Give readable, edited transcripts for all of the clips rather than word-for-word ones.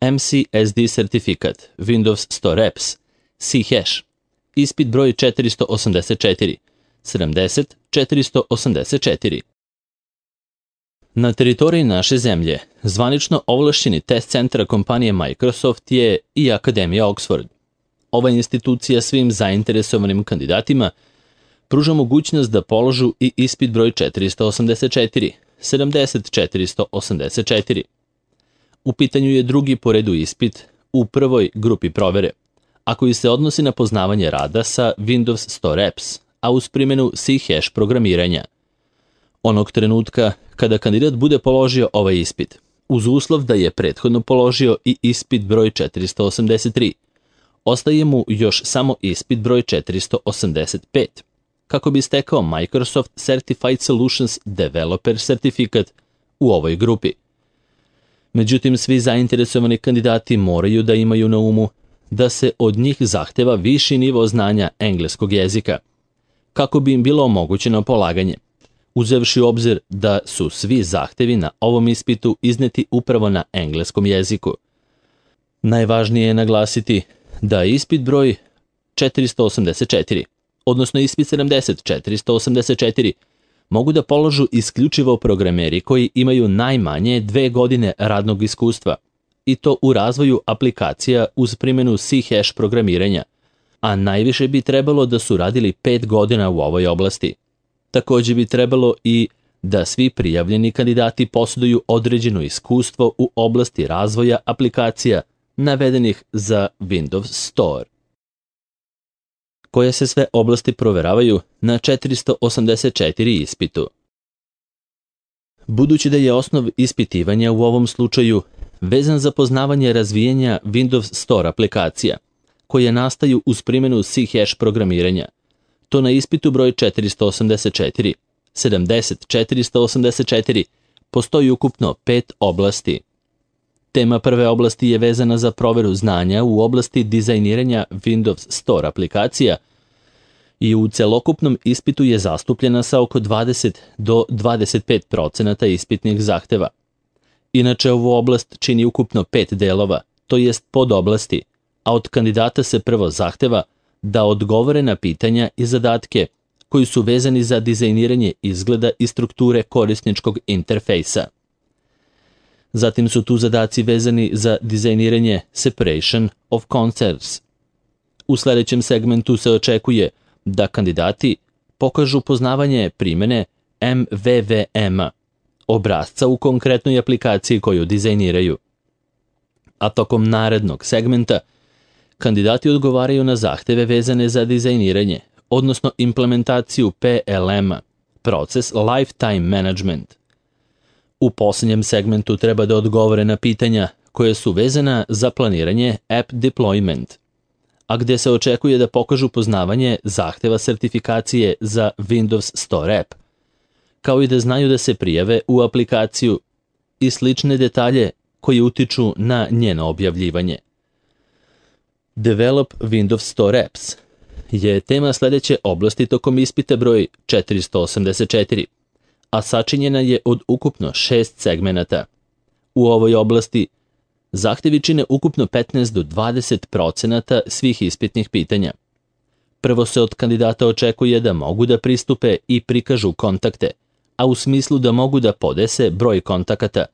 MCSD sertifikat, Windows Store Apps, C-Hash, ispit broj 484, 70-484. Na teritoriji naše zemlje, zvanično ovlašćeni test centra kompanije Microsoft je i Akademija Oxford. Ova institucija svim zainteresovanim kandidatima pruža mogućnost da položu i ispit broj 484, 70-484. U pitanju je drugi po redu ispit u prvoj grupi provere, a koji se odnosi na poznavanje rada sa Windows Store Apps, a uz primjenu C-Hash programiranja. Onog trenutka kada kandidat bude položio ovaj ispit, uz uslov da je prethodno položio i ispit broj 483, ostaje mu još samo ispit broj 485, kako bi stekao Microsoft Certified Solutions Developer sertifikat u ovoj grupi. Međutim, svi zainteresovani kandidati moraju da imaju na umu da se od njih zahteva viši nivo znanja engleskog jezika, kako bi im bilo omogućeno polaganje, uzevši u obzir da su svi zahtevi na ovom ispitu izneti upravo na engleskom jeziku. Najvažnije je naglasiti da ispit broj 484, odnosno ispit 70-484, mogu da položu isključivo programeri koji imaju najmanje 2 godine radnog iskustva, i to u razvoju aplikacija uz primjenu C-Hash programiranja, a najviše bi trebalo da su radili 5 godina u ovoj oblasti. Također bi trebalo i da svi prijavljeni kandidati posjeduju određeno iskustvo u oblasti razvoja aplikacija navedenih za Windows Store. Koje se sve oblasti proveravaju na 484 ispitu. Budući da je osnov ispitivanja u ovom slučaju vezan za poznavanje razvijanja Windows Store aplikacija, koje nastaju uz primjenu C-Hash programiranja, to na ispitu broj 484, 70-484, postoji ukupno 5 oblasti. Tema prve oblasti je vezana za proveru znanja u oblasti dizajniranja Windows Store aplikacija i u celokupnom ispitu je zastupljena sa oko 20 do 25% ispitnih zahteva. Inače, ovu oblast čini ukupno 5 delova, to jest podoblasti, a od kandidata se prvo zahteva da odgovore na pitanja i zadatke koji su vezani za dizajniranje izgleda i strukture korisničkog interfejsa. Zatim su tu zadaci vezani za dizajniranje separation of concerns. U sljedećem segmentu se očekuje da kandidati pokažu poznavanje primjene MVVM-a, obrasca u konkretnoj aplikaciji koju dizajniraju. A tokom narednog segmenta kandidati odgovaraju na zahteve vezane za dizajniranje, odnosno implementaciju PLM-a, proces Lifetime Management. U posljednjem segmentu treba da odgovore na pitanja koje su vezana za planiranje App Deployment, a gdje se očekuje da pokažu poznavanje zahteva sertifikacije za Windows Store App, kao i da znaju da se prijave u aplikaciju i slične detalje koji utiču na njeno objavljivanje. Develop Windows Store Apps je tema sljedeće oblasti tokom ispita broj 484, a sačinjena je od ukupno 6 segmenata. U ovoj oblasti zahtevi čine ukupno 15 do 20% svih ispitnih pitanja. Prvo se od kandidata očekuje da mogu da pristupe i prikažu kontakte, a u smislu da mogu da podese broj kontakata.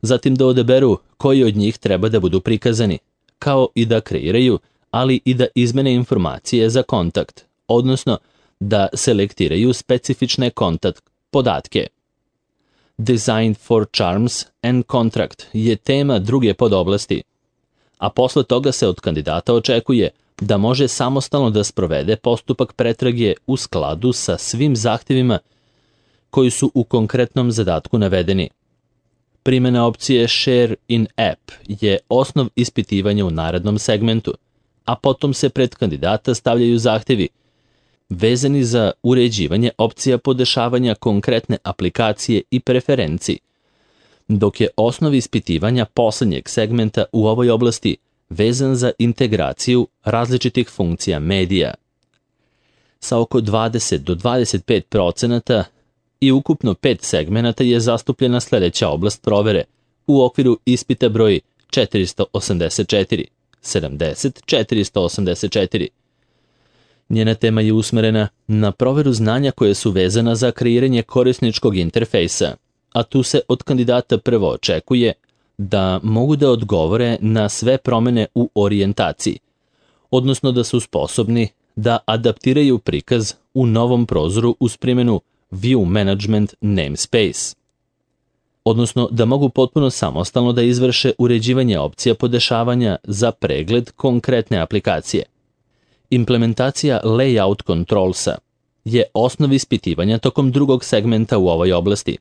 Zatim da odaberu koji od njih treba da budu prikazani, kao i da kreiraju, ali i da izmene informacije za kontakt, odnosno da selektiraju specifične kontakt podatke. Design for Charms and Contract je tema druge podoblasti, a posle toga se od kandidata očekuje da može samostalno da sprovede postupak pretrage u skladu sa svim zahtjevima koji su u konkretnom zadatku navedeni. Primjena opcije Share in App je osnov ispitivanja u narednom segmentu, a potom se pred kandidata stavljaju zahtjevi vezani za uređivanje opcija podešavanja konkretne aplikacije i preferenciji, dok je osnov ispitivanja posljednjeg segmenta u ovoj oblasti vezan za integraciju različitih funkcija medija. Sa oko 20 do 25% i ukupno 5 segmenata je zastupljena sljedeća oblast provere u okviru ispita broj 484, 484. Njena tema je usmerena na proveru znanja koje su vezana za kreiranje korisničkog interfejsa, a tu se od kandidata prvo očekuje da mogu da odgovore na sve promene u orijentaciji, odnosno da su sposobni da adaptiraju prikaz u novom prozoru uz primjenu View Management Namespace, odnosno da mogu potpuno samostalno da izvrše uređivanje opcija podešavanja za pregled konkretne aplikacije. Implementacija Layout Controlsa je osnov ispitivanja tokom drugog segmenta u ovoj oblasti,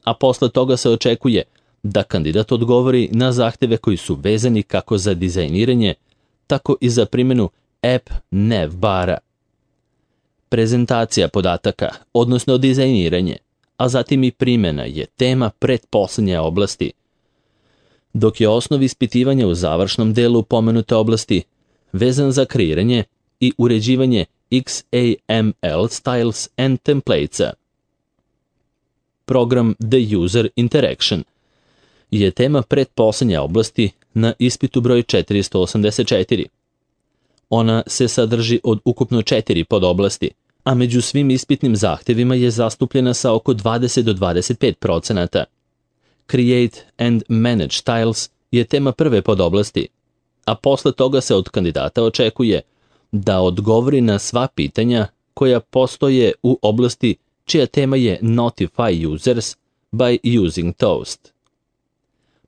a posle toga se očekuje da kandidat odgovori na zahteve koji su vezani kako za dizajniranje, tako i za primjenu App Nav bara. Prezentacija podataka, odnosno dizajniranje, a zatim i primjena je tema pretposlednje oblasti, dok je osnov ispitivanja u završnom delu pomenute oblasti vezan za kreiranje i uređivanje XAML styles and templatesa. Program The User Interaction je tema pretposlednje oblasti na ispitu broj 484. Ona se sadrži od ukupno 4 podoblasti, a među svim ispitnim zahtevima je zastupljena sa oko 20 do 25%. Create and Manage Styles je tema prve podoblasti, a posle toga se od kandidata očekuje da odgovori na sva pitanja koja postoje u oblasti čija tema je Notify Users by Using Toast.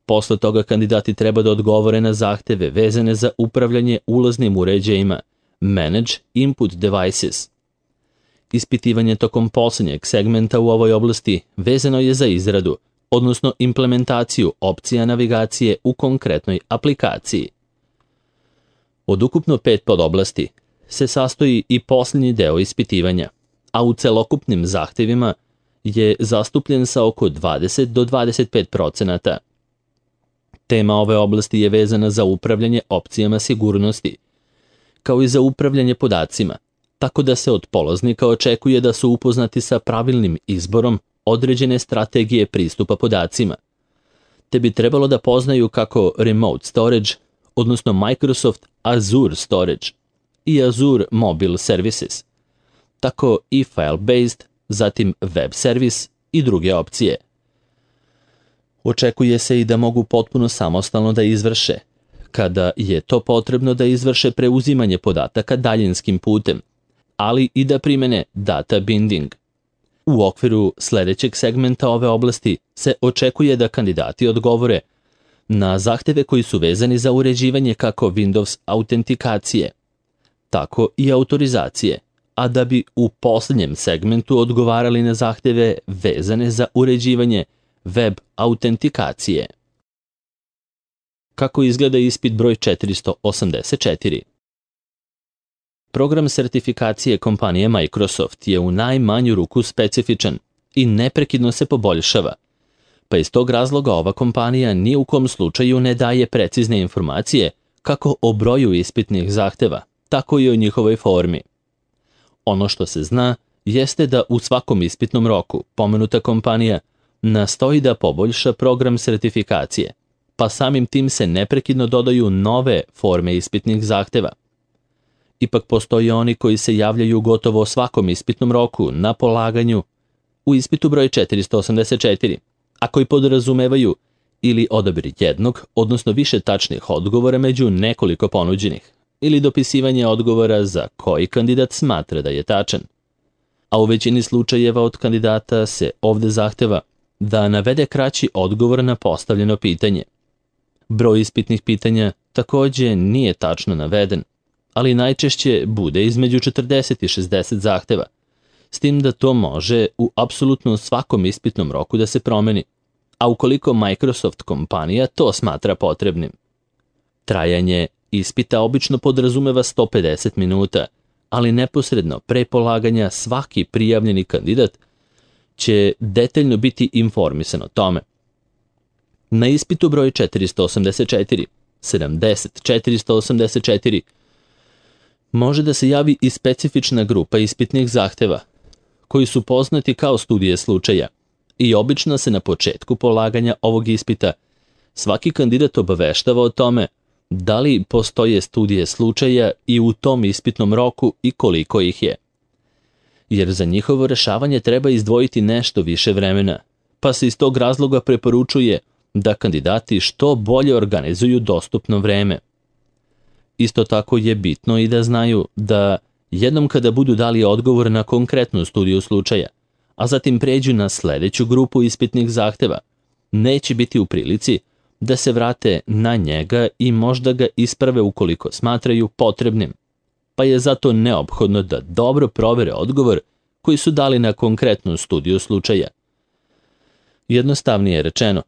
Posle toga kandidati treba da odgovore na zahteve vezane za upravljanje ulaznim uređajima, Manage Input Devices. Ispitivanje tokom poslednjeg segmenta u ovoj oblasti vezano je za izradu, odnosno implementaciju opcija navigacije u konkretnoj aplikaciji. Od ukupno 5 podoblasti se sastoji i posljednji deo ispitivanja, a u celokupnim zahtevima je zastupljen sa oko 20 do 25%. Tema ove oblasti je vezana za upravljanje opcijama sigurnosti, kao i za upravljanje podacima, tako da se od polaznika očekuje da su upoznati sa pravilnim izborom određene strategije pristupa podacima, te bi trebalo da poznaju kako Remote Storage, odnosno Microsoft Azure Storage i Azure Mobile Services, tako i File-based, zatim Web Service i druge opcije. Očekuje se i da mogu potpuno samostalno da izvrše, kada je to potrebno da izvrše preuzimanje podataka daljinskim putem, ali i da primene data binding. U okviru sledećeg segmenta ove oblasti se očekuje da kandidati odgovore na zahteve koji su vezani za uređivanje kako Windows autentikacije, tako i autorizacije, a da bi u posljednjem segmentu odgovarali na zahteve vezane za uređivanje web autentikacije. Kako izgleda ispit broj 484? Program sertifikacije kompanije Microsoft je u najmanju ruku specifičan i neprekidno se poboljšava, pa iz tog razloga ova kompanija ni u kom slučaju ne daje precizne informacije kako o broju ispitnih zahteva, tako i o njihovoj formi. Ono što se zna jeste da u svakom ispitnom roku pomenuta kompanija nastoji da poboljša program sertifikacije, pa samim tim se neprekidno dodaju nove forme ispitnih zahteva. Ipak postoje oni koji se javljaju gotovo svakom ispitnom roku na polaganju u ispitu broj 484, a koji podrazumevaju ili odabir jednog, odnosno više tačnih odgovora među nekoliko ponuđenih, ili dopisivanje odgovora za koji kandidat smatra da je tačan. A u većini slučajeva od kandidata se ovde zahteva da navede kraći odgovor na postavljeno pitanje. Broj ispitnih pitanja takođe nije tačno naveden, ali najčešće bude između 40 i 60 zahteva, s tim da to može u apsolutno svakom ispitnom roku da se promeni, a ukoliko Microsoft kompanija to smatra potrebnim. Trajanje ispita obično podrazumeva 150 minuta, ali neposredno pre polaganja svaki prijavljeni kandidat će detaljno biti informisan o tome. Na ispitu broj 484, 484, može da se javi i specifična grupa ispitnih zahteva, koji su poznati kao studije slučaja i obično se na početku polaganja ovog ispita svaki kandidat obaveštava o tome da li postoje studije slučaja i u tom ispitnom roku i koliko ih je. Jer za njihovo rešavanje treba izdvojiti nešto više vremena, pa se iz tog razloga preporučuje da kandidati što bolje organizuju dostupno vreme. Isto tako je bitno i da znaju da jednom kada budu dali odgovor na konkretnu studiju slučaja, a zatim pređu na sledeću grupu ispitnih zahteva, neće biti u prilici da se vrate na njega i možda ga isprave ukoliko smatraju potrebnim, pa je zato neophodno da dobro provere odgovor koji su dali na konkretnu studiju slučaja. Jednostavnije rečeno,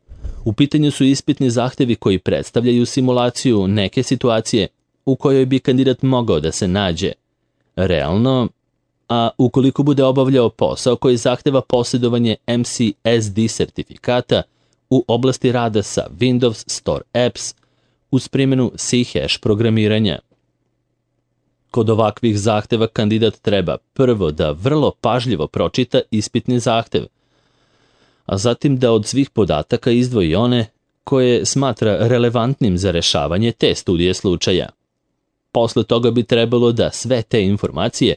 u pitanju su ispitni zahtevi koji predstavljaju simulaciju neke situacije u kojoj bi kandidat mogao da se nađe realno, a ukoliko bude obavljao posao koji zahteva posjedovanje MCSD sertifikata u oblasti rada sa Windows Store Apps uz primjenu C# programiranja. Kod ovakvih zahteva kandidat treba prvo da vrlo pažljivo pročita ispitni zahtev, a zatim da od svih podataka izdvoji one koje smatra relevantnim za rešavanje te studije slučaja. Posle toga bi trebalo da sve te informacije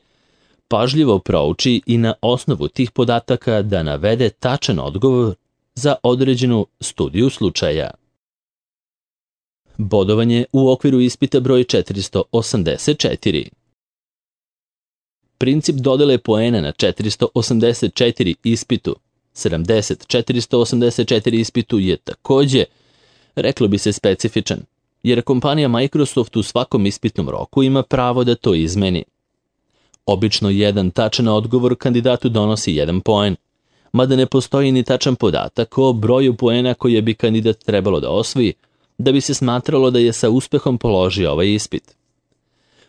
pažljivo prouči i na osnovu tih podataka da navede tačan odgovor za određenu studiju slučaja. Bodovanje u okviru ispita broj 484. Princip dodele poena na 484 ispitu, 484 ispitu je takođe, reklo bi se, specifičan, jer kompanija Microsoft u svakom ispitnom roku ima pravo da to izmeni. Obično jedan tačan odgovor kandidatu donosi 1 poen, mada ne postoji ni tačan podatak o broju poena koje bi kandidat trebalo da osvoji da bi se smatralo da je sa uspehom položio ovaj ispit.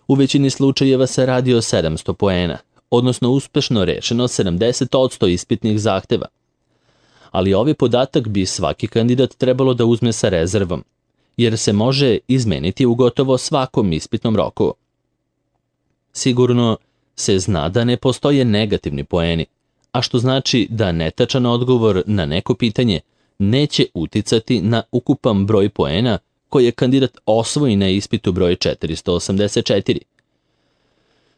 U većini slučajeva se radi o 700 poena, odnosno uspešno rešeno 70% ispitnih zahteva. Ali ovaj podatak bi svaki kandidat trebalo da uzme sa rezervom, jer se može izmeniti u gotovo svakom ispitnom roku. Sigurno se zna da ne postoje negativni poeni, a što znači da netačan odgovor na neko pitanje neće uticati na ukupan broj poena koje kandidat osvoji na ispitu broj 484.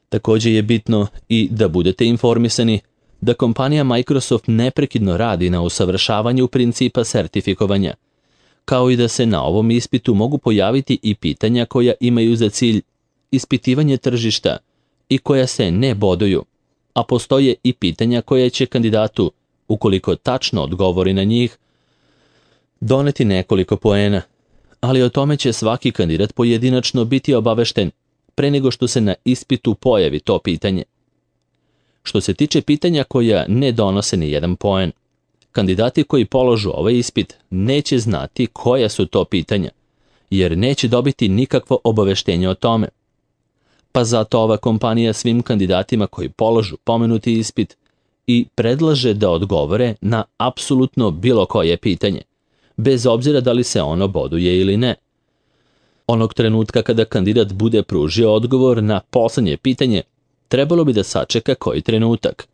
Takođe je bitno i da budete informisani da kompanija Microsoft neprekidno radi na usavršavanju principa sertifikovanja, kao i da se na ovom ispitu mogu pojaviti i pitanja koja imaju za cilj ispitivanje tržišta i koja se ne boduju, a postoje i pitanja koje će kandidatu, ukoliko tačno odgovori na njih, doneti nekoliko poena, ali o tome će svaki kandidat pojedinačno biti obavešten pre nego što se na ispitu pojavi to pitanje. Što se tiče pitanja koja ne donose ni 1 poen, kandidati koji položu ovaj ispit neće znati koja su to pitanja, jer neće dobiti nikakvo obaveštenje o tome. Pa zato ova kompanija svim kandidatima koji položu pomenuti ispit i predlaže da odgovore na apsolutno bilo koje pitanje, bez obzira da li se ono boduje ili ne. Onog trenutka kada kandidat bude pružio odgovor na poslednje pitanje, trebalo bi da sačeka koji trenutak,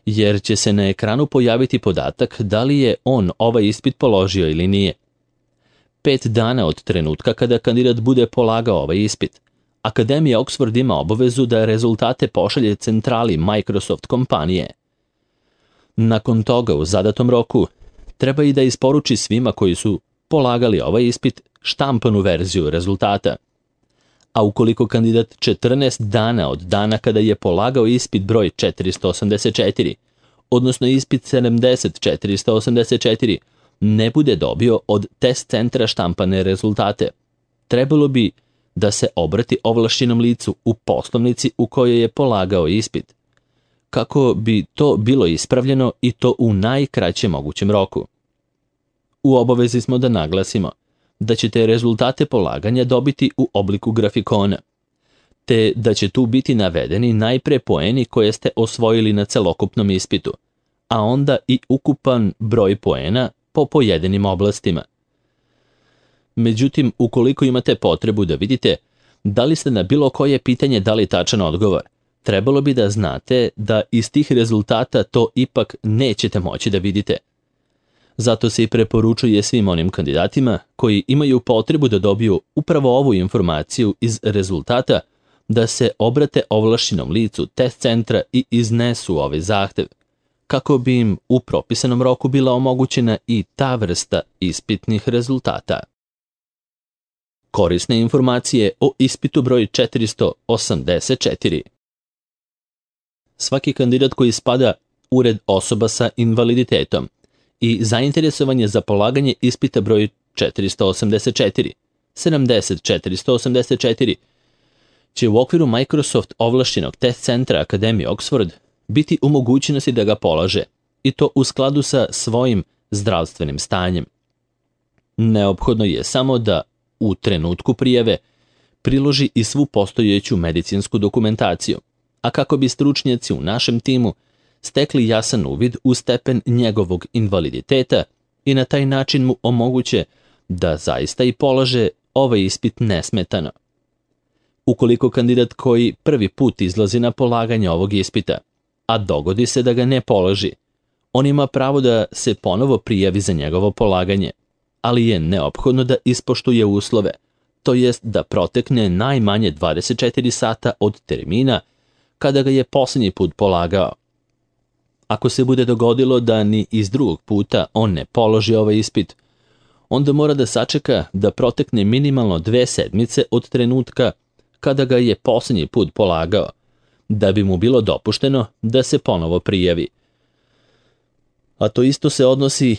jer će se na ekranu pojaviti podatak da li je on ovaj ispit položio ili nije. 5 dana od trenutka kada kandidat bude polagao ovaj ispit, Akademija Oxford ima obavezu da rezultate pošalje centrali Microsoft kompanije. Nakon toga, u zadatom roku, treba i da isporuči svima koji su polagali ovaj ispit štampanu verziju rezultata. A ukoliko kandidat 14 dana od dana kada je polagao ispit broj 484, odnosno ispit 484, ne bude dobio od test centra štampane rezultate, trebalo bi da se obrati ovlašćenom licu u poslovnici u kojoj je polagao ispit, kako bi to bilo ispravljeno i to u najkraćem mogućem roku. U obavezi smo da naglasimo da ćete rezultate polaganja dobiti u obliku grafikona, te da će tu biti navedeni najpre poeni koje ste osvojili na celokupnom ispitu, a onda i ukupan broj poena po pojedinim oblastima. Međutim, ukoliko imate potrebu da vidite da li ste na bilo koje pitanje dali tačan odgovor, trebalo bi da znate da iz tih rezultata to ipak nećete moći da vidite. Zato se i preporučuje svim onim kandidatima koji imaju potrebu da dobiju upravo ovu informaciju iz rezultata da se obrate ovlašćenom licu test centra i iznesu ovaj zahtev, kako bi im u propisanom roku bila omogućena i ta vrsta ispitnih rezultata. Korisne informacije o ispitu broj 484. Svaki kandidat koji spada u red osoba sa invaliditetom i zainteresovan je za polaganje ispita broj 484, 484, će u okviru Microsoft ovlašćenog test centra Akademije Oxford biti u mogućnosti da ga polaže, i to u skladu sa svojim zdravstvenim stanjem. Neophodno je samo da u trenutku prijave priloži i svu postojeću medicinsku dokumentaciju, a kako bi stručnjaci u našem timu stekli jasan uvid u stepen njegovog invaliditeta i na taj način mu omoguće da zaista i polaže ovaj ispit nesmetano. Ukoliko kandidat koji prvi put izlazi na polaganje ovog ispita, a dogodi se da ga ne položi, on ima pravo da se ponovo prijavi za njegovo polaganje, ali je neophodno da ispoštuje uslove, to jest da protekne najmanje 24 sata od termina kada ga je posljednji put polagao. Ako se bude dogodilo da ni iz drugog puta on ne položi ovaj ispit, onda mora da sačeka da protekne minimalno 2 sedmice od trenutka kada ga je posljednji put polagao, da bi mu bilo dopušteno da se ponovo prijavi. A to isto se odnosi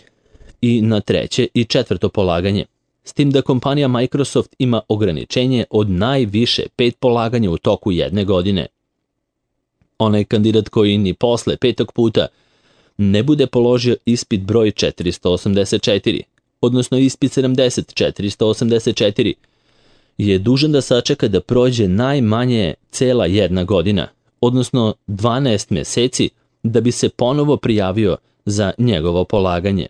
i na 3. i 4. polaganje, s tim da kompanija Microsoft ima ograničenje od najviše 5 polaganja u toku 1 godine. Onaj kandidat koji ni posle 5. puta ne bude položio ispit broj 484, odnosno ispit 484, je dužan da sačeka da prođe najmanje cela 1 godina, odnosno 12 meseci, da bi se ponovo prijavio za njegovo polaganje.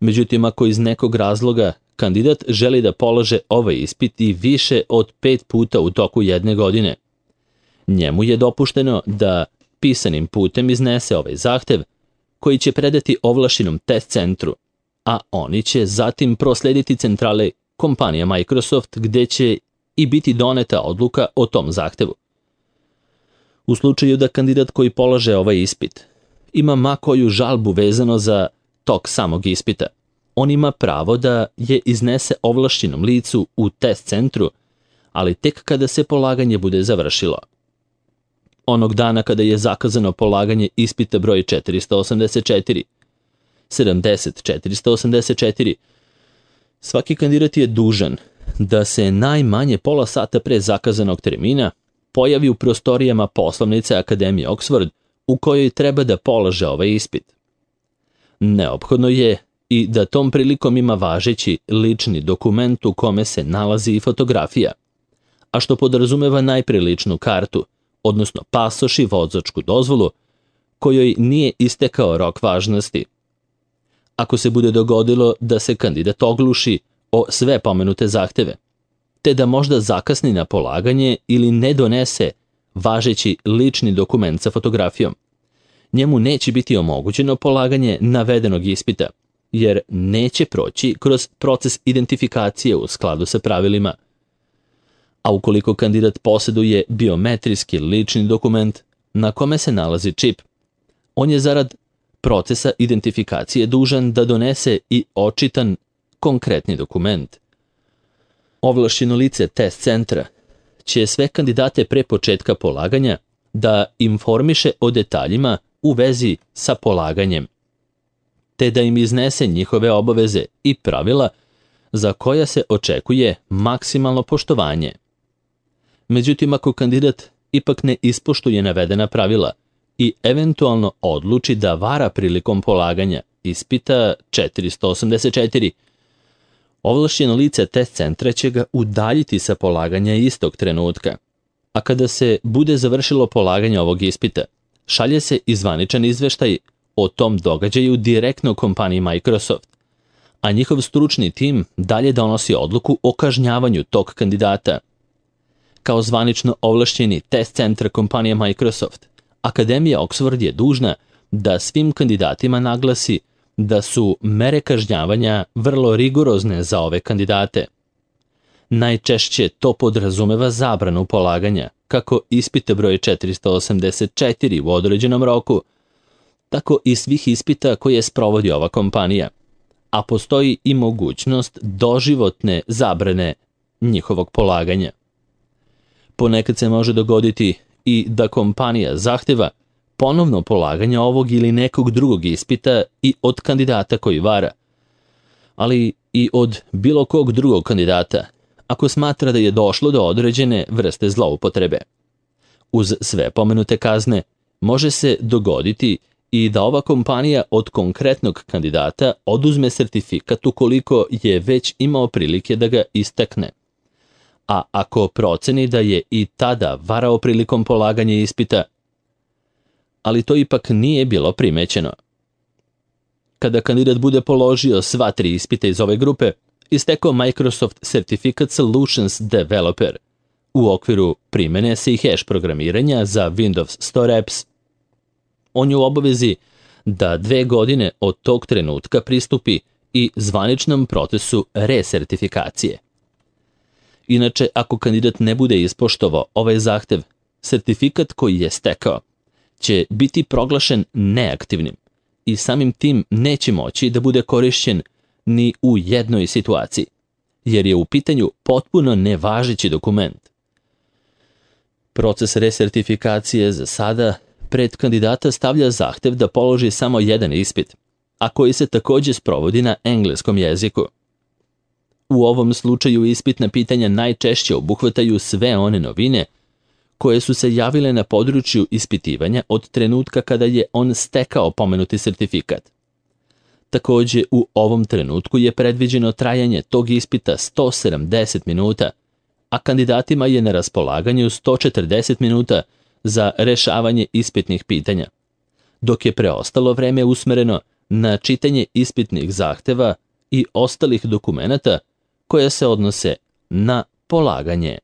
Međutim, ako iz nekog razloga kandidat želi da polože ovaj ispit i više od 5 puta u toku 1 godine, njemu je dopušteno da pisanim putem iznese ovaj zahtev koji će predati ovlašćenom test centru, a oni će zatim proslediti centrale kompanije Microsoft gde će i biti doneta odluka o tom zahtevu. U slučaju da kandidat koji polaže ovaj ispit ima ma koju žalbu vezano za tok samog ispita, on ima pravo da je iznese ovlašćenom licu u test centru, ali tek kada se polaganje bude završilo. Onog dana kada je zakazano polaganje ispita broj 484, svaki kandidat je dužan da se najmanje pola sata pre zakazanog termina pojavi u prostorijama poslovnice Akademije Oxford u kojoj treba da polaže ovaj ispit. Neophodno je i da tom prilikom ima važeći lični dokument u kome se nalazi i fotografija, a što podrazumeva najpre ličnu kartu, odnosno pasoš i vozačku dozvolu, kojoj nije istekao rok važnosti. Ako se bude dogodilo da se kandidat ogluši o sve pomenute zahteve, te da možda zakasni na polaganje ili ne donese važeći lični dokument sa fotografijom, njemu neće biti omogućeno polaganje navedenog ispita, jer neće proći kroz proces identifikacije u skladu sa pravilima. A ukoliko kandidat posjeduje biometrijski lični dokument na kome se nalazi čip, on je zarad procesa identifikacije dužan da donese i očitan konkretni dokument. Ovlašćeno lice test centra će sve kandidate pre početka polaganja da informiše o detaljima u vezi sa polaganjem, te da im iznese njihove obaveze i pravila za koja se očekuje maksimalno poštovanje. Međutim, ako kandidat ipak ne ispoštuje navedena pravila i eventualno odluči da vara prilikom polaganja ispita 484, ovlašćeno lice test centra će ga udaljiti sa polaganja istog trenutka, a kada se bude završilo polaganje ovog ispita, šalje se i zvaničan izveštaj o tom događaju direktno kompaniji Microsoft, a njihov stručni tim dalje donosi odluku o kažnjavanju tog kandidata. Kao zvanično ovlašćeni test centar kompanije Microsoft, Akademija Oxford je dužna da svim kandidatima naglasi da su mere kažnjavanja vrlo rigorozne za ove kandidate. Najčešće to podrazumeva zabranu polaganja, kako ispita broj 484 u određenom roku, tako i svih ispita koje sprovodi ova kompanija, a postoji i mogućnost doživotne zabrane njihovog polaganja. Ponekad se može dogoditi i da kompanija zahteva ponovno polaganje ovog ili nekog drugog ispita i od kandidata koji vara, ali i od bilo kog drugog kandidata, ako smatra da je došlo do određene vrste zloupotrebe. Uz sve pomenute kazne, može se dogoditi i da ova kompanija od konkretnog kandidata oduzme sertifikat ukoliko je već imao prilike da ga istekne. A ako proceni da je i tada varao prilikom polaganja ispita, ali to ipak nije bilo primećeno. Kada kandidat bude položio sva 3 ispita iz ove grupe, istekao Microsoft Certificate Solutions Developer u okviru primene se i hash programiranja za Windows Store Apps. On je u obavezi da 2 godine od tog trenutka pristupi i zvaničnom procesu resertifikacije. Inače, ako kandidat ne bude ispoštovao ovaj zahtev, sertifikat koji je stekao će biti proglašen neaktivnim i samim tim neće moći da bude korišćen ni u jednoj situaciji, jer je u pitanju potpuno nevažeći dokument. Proces resertifikacije za sada pred kandidata stavlja zahtev da položi samo jedan ispit, a koji se također sprovodi na engleskom jeziku. U ovom slučaju ispitna pitanja najčešće obuhvataju sve one novine koje su se javile na području ispitivanja od trenutka kada je on stekao pomenuti sertifikat. Također, u ovom trenutku je predviđeno trajanje tog ispita 170 minuta, a kandidatima je na raspolaganju 140 minuta za rešavanje ispitnih pitanja, dok je preostalo vreme usmereno na čitanje ispitnih zahteva i ostalih dokumenata koje se odnose na polaganje